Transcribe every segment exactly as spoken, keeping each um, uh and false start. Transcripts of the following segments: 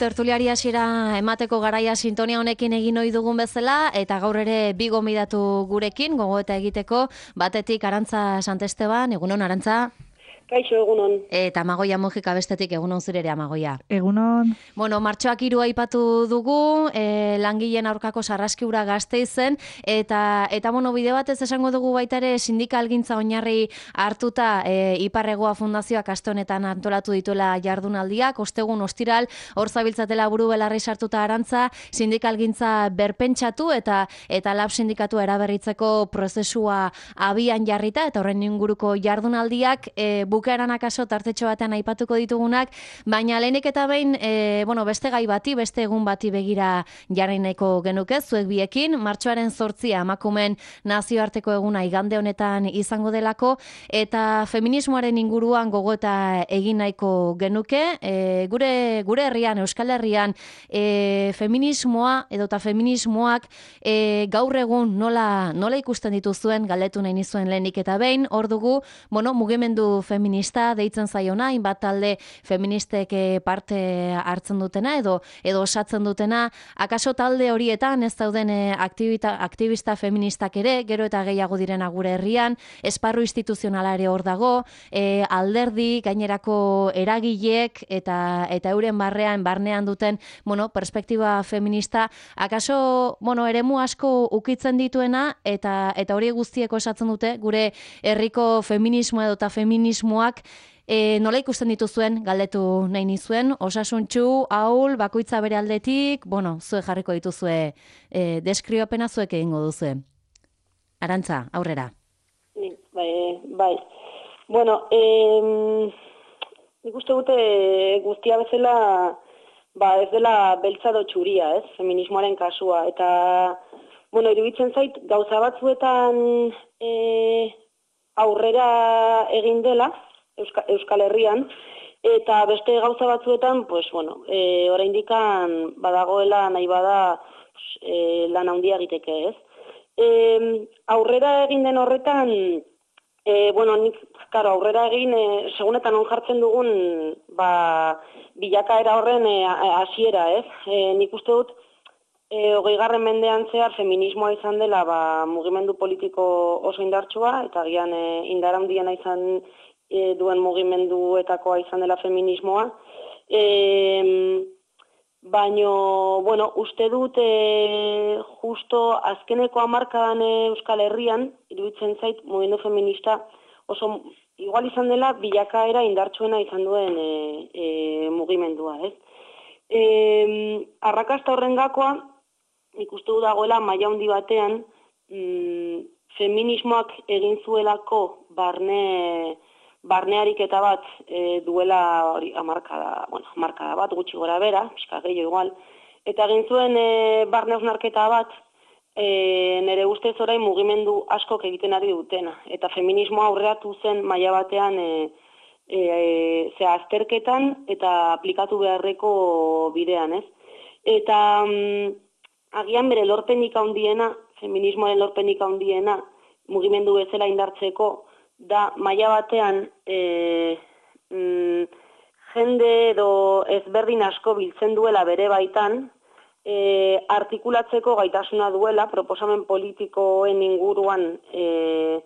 Tertuliari hasiera emateko garaia sintonia honekin egin ohi dugun bezala, eta gaur ere bi gonbidatu gurekin, gogoeta egiteko, batetik Arantza Santesteban, egunon Arantza? Kaixo, egunon. Eta Amagoia Mujika bestetik, egunon zure ere Amagoia. Egunon. Bueno, martxoak hiru aipatu dugu, e, langileen aurkako sarraskiura Gasteizen, eta, eta bueno, bide batez esango dugu baita ere sindikalgintza oinarri hartuta e, Iparregoa Fundazioak aste honetan antolatu dituela jardunaldiak, ostegun ostiral, hor zabiltzatela buru belarri sartuta Arantza, sindikalgintza berpentsatu eta eta lab sindikatu eraberritzeko prozesua abian jarrita, eta horren inguruko jardunaldiak e, bukaeran akaso tartetxo batean aipatuko ditugunak, baina lehenik eta behin, e, bueno, beste gai bati, beste egun bati begira jarri nahiko genuke, zuek biekin, martxoaren zortzia emakumeen nazioarteko eguna igande honetan izango delako, eta feminismoaren inguruan gogoeta egin nahiko genuke, e, gure, gure herrian, Euskal Herrian, e, feminismoa edota feminismoak e, gaur egun nola, nola ikusten dituzuen, galdetu nahi nizuen lehenik eta behin, hor dugu, bueno, mugimendu feminista deitzen zaiona, hainbat talde feministek parte hartzen dutena edo edo osatzen dutena, akaso talde horietan ez dauden aktivita, aktivista feministak ere, gero eta gehiago direna gure herrian, esparru instituzionala ere hor dago, e, alderdi, gainerako eragileek eta eta euren barrean, barnean duten, bueno, perspektiba feminista, akaso, bueno, eremu asko ukitzen dituena eta eta hori guztiek osatzen dute gure herriko feminismoa edota feminismoak E, nola ikusten dituzuen, galdetu nahi nizuen, osasuntxu, ahul, bakoitza bere aldetik, bueno, zuek jarriko dituzue, e, deskribapena zuek egingo duzue. Arantza, aurrera. Bai, bai. Bueno, eh, nik uste gute guztia bezala, ba, ez dela beltza do txuria, ez, feminismoaren kasua, eta, bueno, iruditzen zait, gauza batzuetan eh, aurrera egin dela, Euskal Herrian, eta beste gauza batzuetan, pues, bueno, e, oraindikan badagoela nahi bada pues, e, lan handia egiteke, ez? E, aurrera egin den horretan, e, bueno, nik, karo, aurrera egin, e, segunetan on jartzen dugun, ba, bilakaera horren hasiera, e, ez? E, nik uste dut, e, hogeigarren mendean zehar feminismoa izan dela, ba, mugimendu politiko oso indartsua, eta gian e, indar handiena izan E, duen mugimenduetakoa izan dela feminismoa. E, baino, bueno, uste dut e, justo azkeneko hamarkadan Euskal Herrian, iruditzen zait, mugimendu feminista oso igual izan dela bilakaera indartsuena izan duen e, e, mugimendua, ez? E, arrakasta horren gakoa, ikustu dagoela maila handi batean, mm, feminismoak egin zuelako barne barneariketa bat e, duela hori hamarkada, bueno, hamarkada bat gutxi gora bera, pixka gehiago igual, eta egin zuen e, barne hausnarketa bat e, nire ustez orain mugimendu askok egiten ari dutena, eta feminismoa aurreatu zen maila batean e, e, ze azterketan eta aplikatu beharreko bidean, ez? Eta mm, agian bere lorpenik handiena, feminismoaren lorpenik handiena, mugimendu bezala indartzeko, da maila batean e, mm, jende edo ezberdin asko biltzen duela bere baitan, e, artikulatzeko gaitasuna duela, proposamen politikoen inguruan e,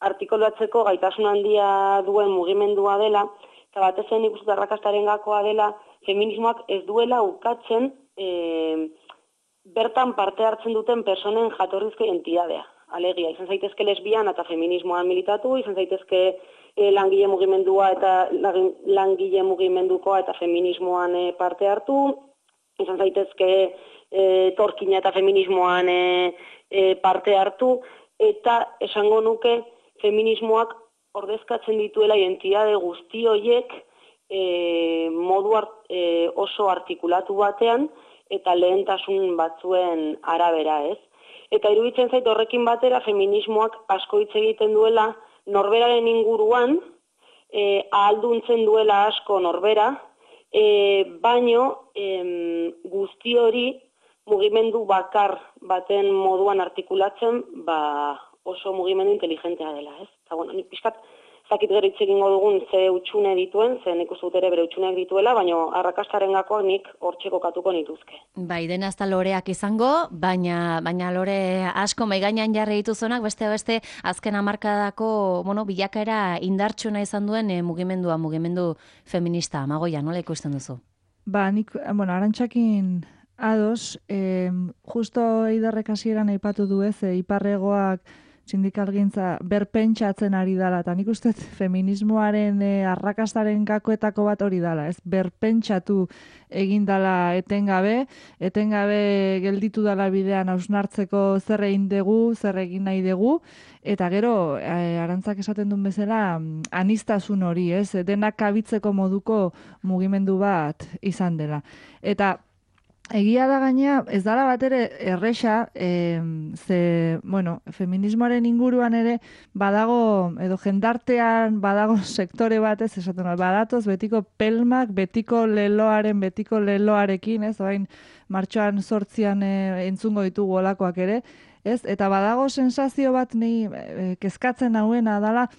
artikulatzeko gaitasun handia duen mugimendua dela, eta batez zen ikusten arrakastaren gakoa dela, feminismoak ez duela ukatzen e, bertan parte hartzen duten personen jatorrizko identidadea. Alegia, izan zaitezke lesbiana eta feminismoan militatu, izan zaitezke e, langile mugimendua eta langile mugimendukoa eta feminismoan e, parte hartu, izan zaitezke e, torkina eta feminismoan e, e, parte hartu, eta esango nuke feminismoak ordezkatzen dituela identitate guzti horiek e, modu art, e, oso artikulatu batean eta lehentasun batzuen arabera, ez? Eta iruditzen zait horrekin batera feminismoak asko hitz egiten duela norberaren inguruan, e, ahalduntzen duela asko norbera, e, baino e, guzti hori mugimendu bakar baten moduan artikulatzen, ba, oso mugimendu inteligentea dela, ez? Eta bueno, nik pixkat zakit gero hitz egingo dugun ze utxune dituen, ze nik uste dut ere bere utxuneak dituela, baina arrakastaren gakoak nik hortxe kokatuko nituzke. Bai, dena ez da loreak izango, baina, baina lore asko maigainan jarri dituzonak, beste beste azken hamarkadako, bueno, bilakaera indartsuna izan duen e, mugimendua, mugimendu feminista, Amagoia, nola ikusten duzu? Ba, nik, bueno, Arantxakin ados, eh, justo Eiderrek hasieran aipatu du ez, e, iparregoak sindikalgintza berpentsatzen ari dala, eta nik uste feminismoaren e, arrakastaren gakoetako bat hori dala, ez? Berpentsatu egin dala etengabe, etengabe gelditu dala bidean hausnartzeko zer egin dugu, zer egin nahi dugu, eta gero, e, Arantzak esaten duen bezala, aniztasun hori, ez? Denak kabitzeko moduko mugimendu bat izan dela. Eta egia da gaina, ez dala bat ere erresa, e, ze, bueno, feminismoaren inguruan ere badago, edo jendartean badago sektore batez, esaten da, badatoz betiko pelmak, betiko leloaren, betiko leloarekin, ez, orain martxoan sortzian e, entzungo ditugu olakoak ere, ez, eta badago sensazio bat ni e, kezkatzen hauena dala,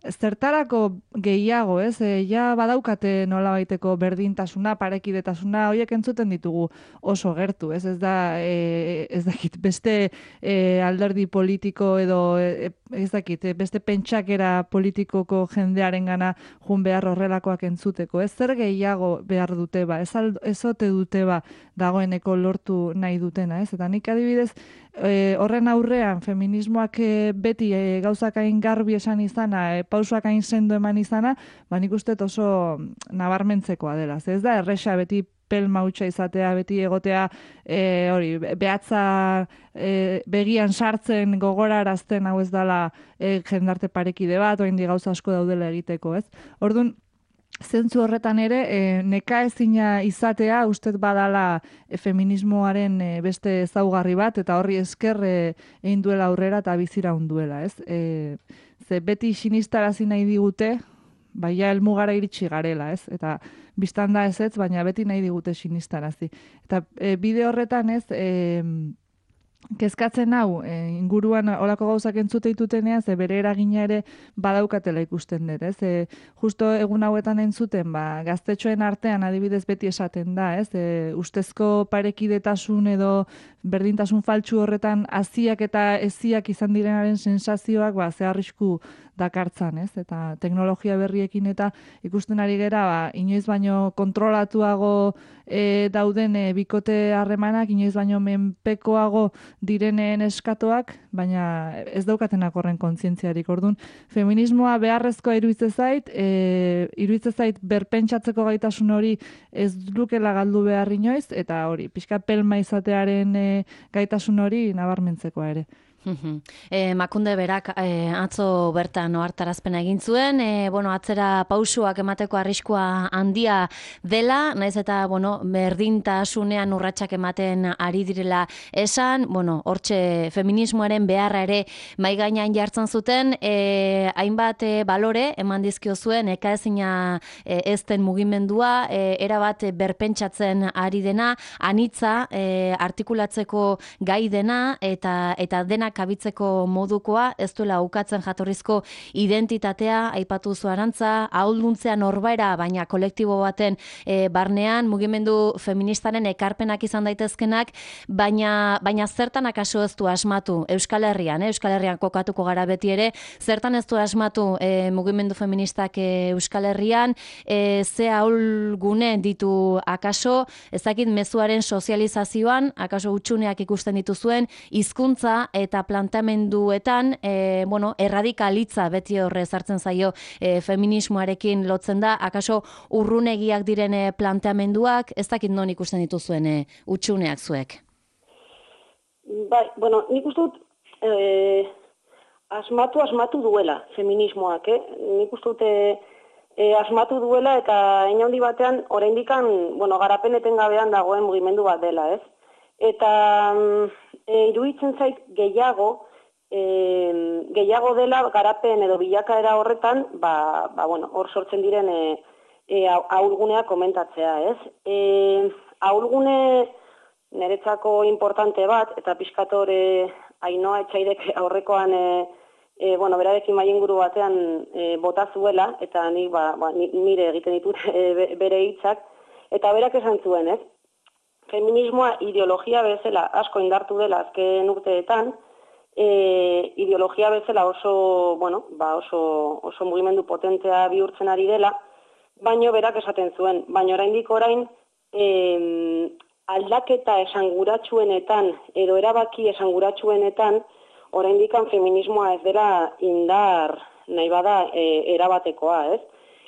zertarako gehiago, ez? E, ja badaukate nolabaiteko berdintasuna, parekidetasuna, horiek entzuten ditugu oso gertu, ez? Ez da, e, ez dakit, beste e, alderdi politiko edo, e, ez dakit, beste pentsakera politikoko jendearen gana jun behar horrelakoak entzuteko, ez? Zer gehiago behar dute ba, ez, aldo, ez ote dute ba, dagoeneko lortu nahi dutena, ez? Eta nik adibidez, e, horren aurrean, feminismoak e, beti e, gauzak hain garbi esan izana, e, pausoak hain sendo eman izana, ba nik uste oso nabarmentzekoa dela. Ez da, erresa beti pelma hutsa izatea, beti egotea, e, hori, behatza e, begian sartzen gogorarazten hau ez dela e, jendarte parekide bat, oraindik gauza asko daudela egiteko, ez? Orduan, zentzu horretan ere, e, neka ezina izatea, ustez badala e, feminismoaren e, beste ezaugarri bat, eta horri esker e, egin duela aurrera eta bizira unduela, ez? E, ze beti sinistarazi nahi digute, baina helmugara iritsi garela, ez? Eta biztan da ez ez, baina beti nahi digute sinistarazi. Eta e, bide horretan ez, e, kezkatzen hau, e, inguruan olako gauzak entzute ditutenean, ze bere eragina ere badaukatela ikusten dut, ez? E, justo egun hauetan entzuten, ba, gaztetxoen artean adibidez beti esaten da, ez? E, ustezko parekidetasun edo berdintasun faltsu horretan haziak eta eziak izan direnaren sensazioak, ba, ze arrisku dakartzan, ez? Eta teknologia berriekin eta ikusten ari gera, ba, inoiz baino kontrolatuago e, dauden e, bikote harremanak, inoiz baino menpekoago direnen eskatoak, baina ez daukatenak horren kontzientziarik. Orduan, feminismoa beharrezkoa iruditzen zait, e, iruditzen zait berpentsatzeko gaitasun hori ez lukela galdu behar inoiz, eta hori, pixka pelma izatearen e, gaitasun hori nabarmentzekoa ere. E, Makunde berak e, atzo bertan ohartarazpena egin zuen, e, bueno, atzera pausuak emateko arriskua handia dela, naiz eta bueno, berdintasunean urratsak ematen ari direla esan, bueno, hortxe feminismoaren beharra ere mai gainean jartzen zuten, e, hainbat e, balore eman dizkio zuen ekaezina e, ezten mugimendua, e, erabat berpentsatzen ari dena, anitza e, artikulatzeko gai dena eta eta denak kabitzeko modukoa, ez duela ukatzen jatorrizko identitatea, aipatu zu Arantza, ahulduntzean norbaera, baina kolektibo baten e, barnean, mugimendu feministaren ekarpenak izan daitezkenak, baina, baina zertan akaso ez du asmatu Euskal Herrian, eh? Euskal Herrian kokatuko gara beti ere, zertan ez du asmatu e, mugimendu feministak e, Euskal Herrian, e, ze ahulgune ditu akaso, ezakit mezuaren sozializazioan, akaso utxuneak ikusten dituzuen, hizkuntza eta plantamenduetan, e, bueno, erradikalitza beti horre sartzen zaio e, feminismoarekin lotzen da, akaso urrunegiak diren e, planteamenduak, ez dakit non ikusten dituzuen e, utxuneak zuek? Bai, bueno, nik uste dut e, asmatu, asmatu duela feminismoak, eh? Nik uste dut e, e, asmatu duela eta inaundi batean, oraindikan, bueno, garapen etengabean dagoen mugimendu bat dela, ez? Eta e, iruditzen zait gehiago, e, gehiago dela garapen edo bilakaera horretan, ba, ba bueno, hor sortzen diren e, e, ahulgunea komentatzea, ez? E, ahulgune niretzako importante bat, eta pixkatore Ainoa Etxaidek aurrekoan e, e, bueno, berarekin mai inguru batean e, bota zuela, eta ni, ba, ba, nire egiten ditut e, bere hitzak, eta berak esan zuen, ez? Feminismoa ideologia bezala asko indartu dela azken urteetan, e, ideologia bezala oso, bueno, ba oso, oso mugimendu potentea bihurtzen ari dela, baino berak esaten zuen, baino oraindik orain e, aldaketa esanguratsuenetan edo erabaki esanguratsuenetan oraindik feminismoa ez dela indar nahi bada e, erabatekoa, ez?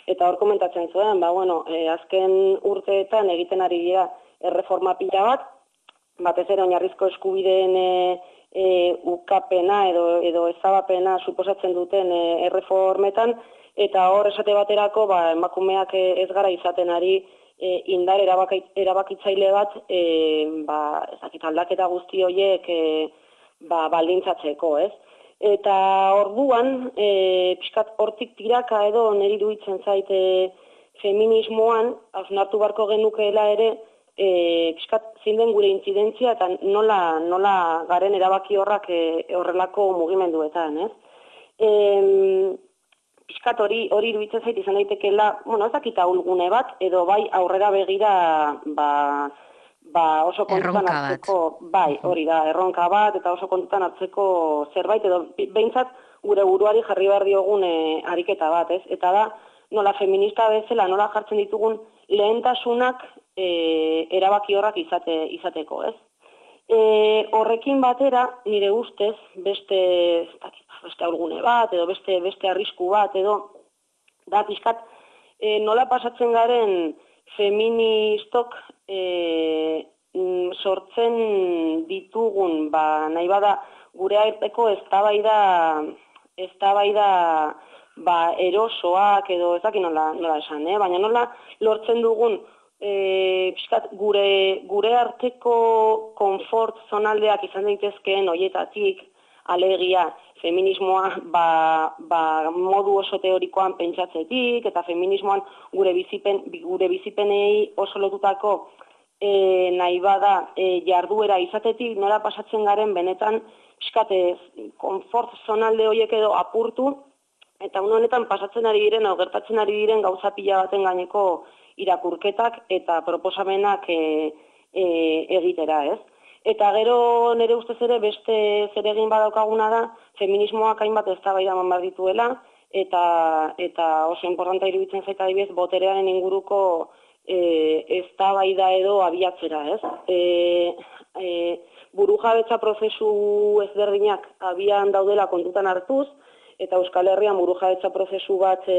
Eta hor komentatzen zuen, ba bueno, e, azken urteetan egiten ari dira erreforma pila bat, batez ere oinarrizko eskubideen e, e, ukapena edo, edo ezabapena suposatzen duten e, erreformetan, eta hor esate baterako ba, emakumeak ez gara izaten ari e, indar erabaki, erabakitzaile bat e, ba, ezakit, aldaketa guzti horiek e, ba, baldintzatzeko, ez? Eta orduan, e, pixkat hortik tiraka edo niri iruditzen zaite feminismoan, hausnartu barko genukeela ere, E, piskat zinden gure intzidentzia eta nola, nola garen erabaki horrak e, horrelako mugimenduetan, ez? E, piskat hori hori iruditzen zait izan daitekeela, bueno, ez dakit ahulgune bat, edo bai aurrera begira ba, ba oso kontutan hartzeko, bai, hori da, erronka bat, eta oso kontutan hartzeko zerbait, edo behintzat gure buruari jarri behar diogun e, ariketa bat, ez? Eta da, nola feminista bezala, nola jartzen ditugun lehentasunak E, erabaki horrak izate, izateko, ez? E, horrekin batera, nire ustez, beste, beste aurgune bat, edo beste, beste arrisku bat, edo, da, pixkat, e, nola pasatzen garen feministok e, sortzen ditugun, ba, nahi bada, gure arteko eztabaida, eztabaida, ba, erosoak, edo ezak nola, nola esan, eh? Baina nola lortzen dugun, E, piskat, gure, gure arteko konfort zonaldeak izan daitezkeen hoietatik alegia feminismoa ba, ba, modu oso teorikoan pentsatzetik eta feminismoan gure bizipen gure bizipenei oso lotutako e, nahi bada e, jarduera izatetik nola pasatzen garen benetan piskat konfort zonalde horiek edo apurtu eta une honetan pasatzen ari diren o gertatzen ari diren gauza pila baten gaineko irakurketak eta proposamenak e, e, egitera, ez? Eta gero nire ustez ere beste zeregin badaukaguna da feminismoak hainbat eztabaida eman behar dituela eta eta oso importante iruditzen zait adibidez boterearen inguruko e, eztabaida edo abiatzera, ez? E, e, burujabetza prozesu ezberdinak abian daudela kontutan hartuz eta Euskal Herrian burujabetza prozesu bat e,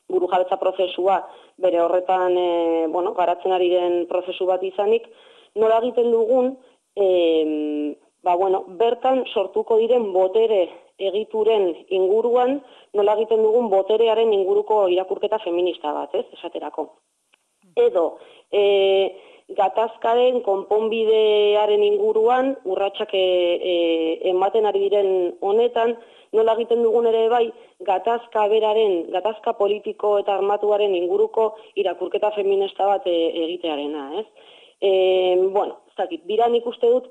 burujabetza prozesua bere horretan e, bueno, garatzen ari den prozesu bat izanik, nola egiten dugun, e, ba, bueno, bertan sortuko diren botere egituren inguruan, nola egiten dugun boterearen inguruko irakurketa feminista bat, ez, esaterako. Edo, e, gatazkaren konponbidearen inguruan, urratsak e, e, ematen ari diren honetan, nola egiten dugun ere bai, gatazka beraren, gatazka politiko eta armatuaren inguruko irakurketa feminista bat e, egitearena, ez? E, bueno, ez dakit, bira nik uste dut,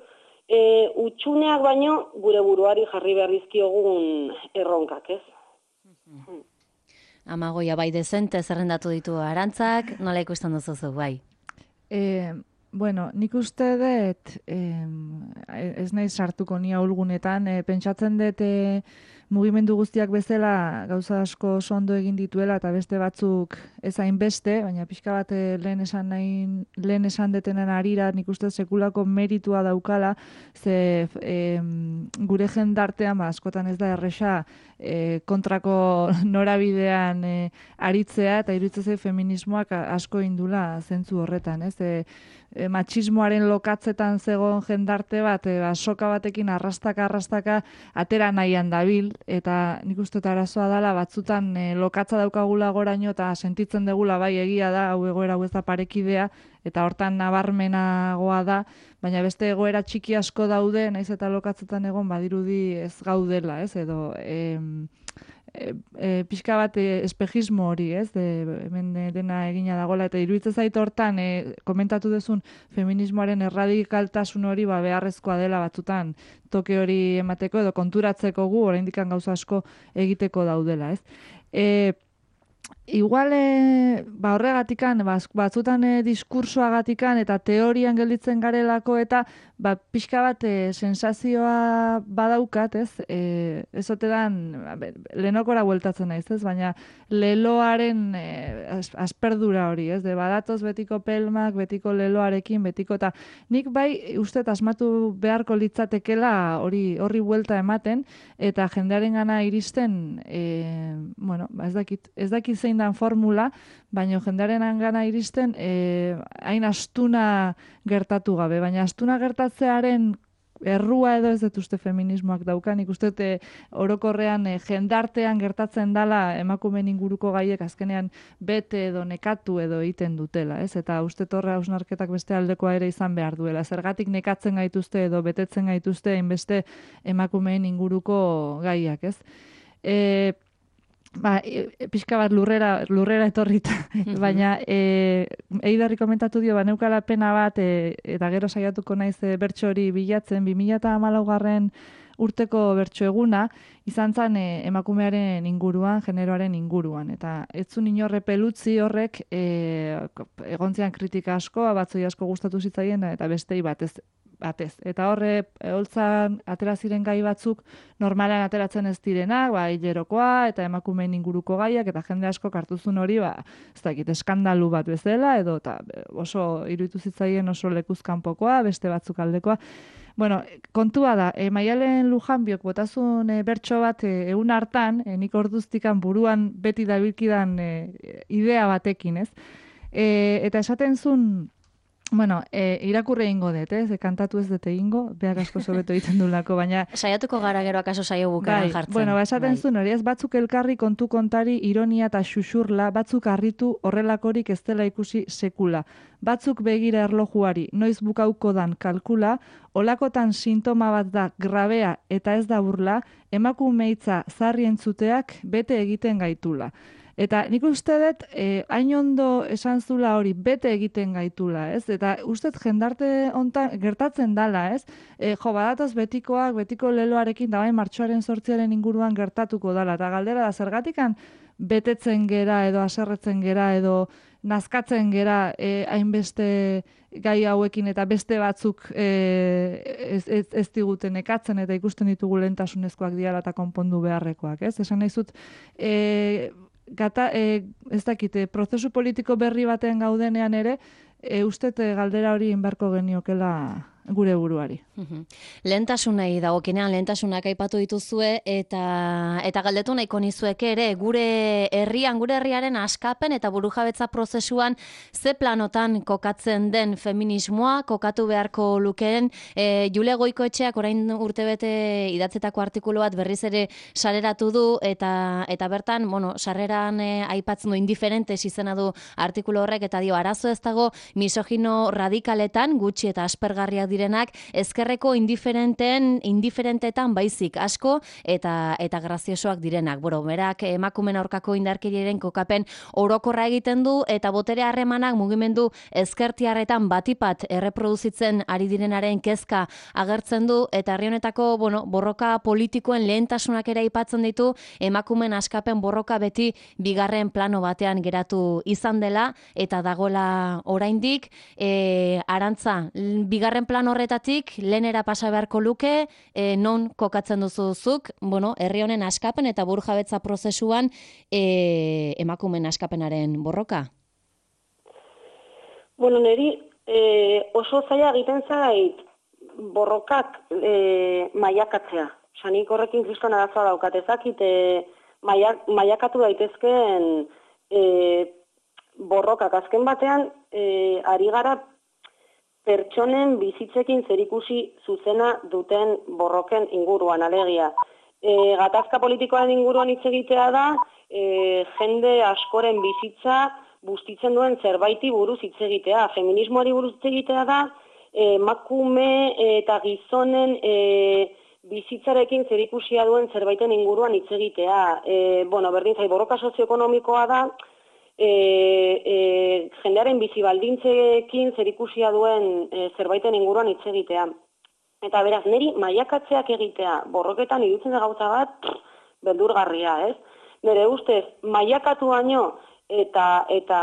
e, utxuneak baino gure buruari jarri behar dizkiogun erronkak, ez? Mm-hmm. Amagoia bai dezente zerrendatu ditu Arantzak, nola ikusten duzu bai? E, bueno, nik uste dut, eh, ez nahi sartuko ni ahulgunetan, eh, pentsatzen dut eh, mugimendu guztiak bezala gauza asko oso ondo egin dituela eta beste batzuk ez hainbeste, baina pixka bat eh, lehen esan nahi, lehen esan detenen arira nik uste sekulako meritua daukala, ze eh, gure jendartean ba, askotan ez da erresa eh, kontrako norabidean eh, aritzea eta iruditzen zait feminismoak asko indula zentzu horretan, ez? E, e, matxismoaren lokatzetan zegoen jendarte bat, e, soka batekin arrastaka arrastaka atera nahian dabil, eta nik uste eta arazoa dela batzutan e, lokatza daukagula goraino eta sentitzen degula bai egia da, hau egoera hau ez da parekidea, eta hortan nabarmenagoa da, baina beste egoera txiki asko daude, naiz eta lokatzetan egon badirudi ez gaudela, ez? Edo em, e, e, pixka bat e, espejismo hori, ez? De, hemen dena egina dagoela, eta iruditzen zait hortan, e, komentatu duzun feminismoaren erradikaltasun hori ba, beharrezkoa dela batzutan toke hori emateko, edo konturatzeko gu, oraindik gauza asko egiteko daudela, ez? E, Igual, e, ba horregatikan, batzutan e, diskursoagatikan eta teorian gelditzen garelako eta ba, pixka bat e, sensazioa badaukat, ez? E, ez ote dan, lehenokora bueltatzen naiz, ez? Baina leloaren e, asperdura hori, ez? De badatoz betiko pelmak, betiko leloarekin, betiko eta nik bai uste asmatu beharko litzatekela hori horri buelta ematen eta jendearen gana iristen, e, bueno, ba ez dakit, ez dakit zein dan formula, baina jendearen gana iristen eh, hain astuna gertatu gabe, baina astuna gertatzearen errua edo ez dut uste feminismoak daukan, ikuste dut orokorrean e, jendartean gertatzen dala emakumeen inguruko gaiek azkenean bete edo nekatu edo egiten dutela, ez? Eta uste torre hausnarketak beste aldekoa ere izan behar duela. Zergatik nekatzen gaituzte edo betetzen gaituzte hainbeste emakumeen inguruko gaiak, ez? E, Ba, e, pixka bat lurrera, lurrera etorrita, baina e, Eidarri komentatu dio, ba, neukala pena bat, e, eta gero saiatuko naiz e, bertso hori bilatzen, bi mila hamalaugarren urteko bertso eguna, izan zen e, emakumearen inguruan, generoaren inguruan, eta ez zuen inorre pelutzi horrek e, egontzean kritika asko, batzoi asko gustatu zitzaien, eta bestei batez, batez. Eta horre, holtzan atera ziren gai batzuk normalean ateratzen ez direnak, ba, hilerokoa eta emakumeen inguruko gaiak, eta jende asko hartuzun hori, ba, ez dakit, eskandalu bat bezala, edo ta, oso iruditu zitzaien oso lekuzkanpokoa, beste batzuk aldekoa. Bueno, kontua da, e, Maialen Lujanbiok botazun e, bertso bat e, egun hartan, e, nik orduztikan buruan beti dabilkidan e, idea batekin, ez? E, eta esaten zuen, bueno, e, irakurre ingo dut, ez? E, kantatu ez dut egingo, beak asko sobeto egiten dulako, baina... Saiatuko gara gero akaso saio bukaran bai, jartzen. Bueno, ba, esaten bai. Zuen hori, ez batzuk elkarri kontu kontari ironia eta xuxurla, batzuk harritu horrelakorik ez dela ikusi sekula. Batzuk begira erlojuari, noiz bukauko dan kalkula, olakotan sintoma bat da grabea eta ez da burla, emakumeitza zarri entzuteak bete egiten gaitula. Eta nik uste dut, eh, hain ondo esan zula hori, bete egiten gaitula, ez? Eta uste dut jendarte ontan gertatzen dala, ez? E, jo, badatoz betikoak, betiko leloarekin, da bai martxoaren sortziaren inguruan gertatuko dala. Eta galdera da, zergatikan betetzen gera edo haserretzen gera edo nazkatzen gera eh, hainbeste gai hauekin eta beste batzuk eh, ez, ez, ez diguten ekatzen eta ikusten ditugu lehentasunezkoak diala eta konpondu beharrekoak, ez? Esan nahi zut, eh, Gata, e, ez dakite, prozesu politiko berri baten gaudenean ere, e, ustet galdera hori inbarko geniokela gure buruari. Lehentasunei dagokinean lehentasunak aipatu dituzue eta eta galdetu nahiko nizueke ere gure herrian, gure herriaren askapen eta burujabetza prozesuan ze planotan kokatzen den feminismoa, kokatu beharko lukeen. E, Jule Goikoetxeak orain urtebete idatzetako artikulu bat berriz ere sareratu du eta eta bertan, bueno, sarreran e, aipatzen du indiferentes izena du artikulu horrek eta dio arazo ez dago misogino radikaletan gutxi eta aspergarriak direnak ezkerreko indiferenten indiferentetan baizik asko eta eta graziosoak direnak. Bueno, berak emakumeen aurkako indarkeriaren kokapen orokorra egiten du eta botere harremanak mugimendu ezkertiarretan batipat erreproduzitzen ari direnaren kezka agertzen du eta herri honetako, bueno, borroka politikoen lehentasunak ere aipatzen ditu emakumeen askapen borroka beti bigarren plano batean geratu izan dela eta dagoela oraindik e, Arantza, bigarren plano horretatik lehenera pasa beharko luke, e, non kokatzen duzuzuk, bueno, herri honen askapen eta burujabetza prozesuan e, emakumeen askapenaren borroka? Bueno, neri e, oso zaila egiten zait borrokak e, maiakatzea. Osa, nik horrekin kriston arazoa daukat ezakit, e, maiak, maiakatu daitezkeen e, borrokak. Azken batean, e, ari gara pertsonen bizitzekin zerikusi zuzena duten borroken inguruan, alegia. E, gatazka politikoaren inguruan hitz egitea da, e, jende askoren bizitza bustitzen duen zerbaiti buruz hitz egitea. Feminismoari buruz hitz egitea da, emakume eta gizonen e, bizitzarekin zerikusia duen zerbaiten inguruan hitz egitea. E, bueno, berdin zait, borroka sozioekonomikoa da, e, e, jendearen bizi baldintzekin zerikusia duen e, zerbaiten inguruan hitz egitea. Eta beraz, niri mailakatzeak egitea borroketan iruditzen da gauza bat, pff, beldurgarria, ez? Nire ustez, mailakatu baino eta, eta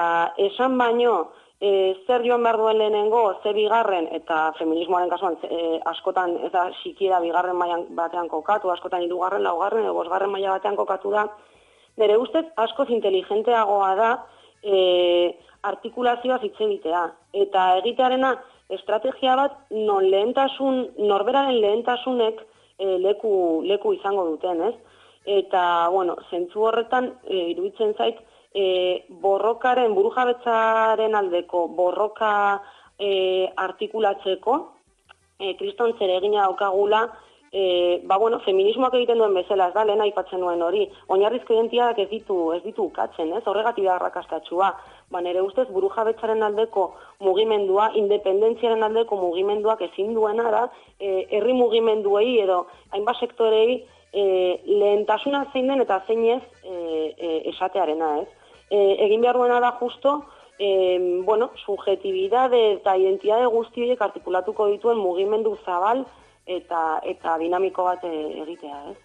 esan baino, E, zer joan behar duen lehenengo, ze bigarren, eta feminismoaren kasuan e, askotan, ez da, sikiera bigarren mailan batean kokatu, askotan hirugarren, laugarren, edo bosgarren maila batean kokatu da, nire ustez askoz inteligenteagoa da e, artikulazioa hitz egitea. Eta egitearena estrategia bat non lehentasun, norberaren lehentasunek e, leku, leku izango duten, ez? Eta, bueno, zentzu horretan, e, iruditzen zait, E, borrokaren, burujabetzaren aldeko borroka e, artikulatzeko, e, kriston zeregina daukagula, e, ba, bueno, feminismoak egiten duen bezala, ez da, lehen aipatzen nuen hori, oinarrizko identitateak ez ditu, ez ditu ukatzen, ez, horregatik da arrakastatxua, ba, nire ustez burujabetzaren aldeko mugimendua, independentziaren aldeko mugimenduak ezin duena da, e, herri mugimenduei edo hainbat sektorei e, lehentasuna zein den eta zein ez e, e, esatearena, ez. E, egin behar duena da justo, e, bueno, subjetibidade eta identitate guzti horiek artikulatuko dituen mugimendu zabal eta eta dinamiko bat egitea, ez?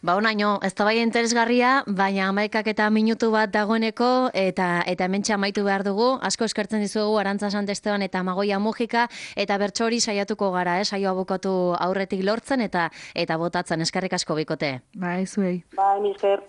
Ba, onaino, ez da bai interesgarria, baina hamaikak eta minutu bat dagoeneko, eta eta hementxe amaitu behar dugu. Asko eskertzen dizuegu Arantza Santesteban eta Amagoia Mujika, eta bertso hori saiatuko gara, eh? Saioa bukatu aurretik lortzen eta eta botatzen. Eskerrik asko bikote. Bai, zuei. Bai, misker.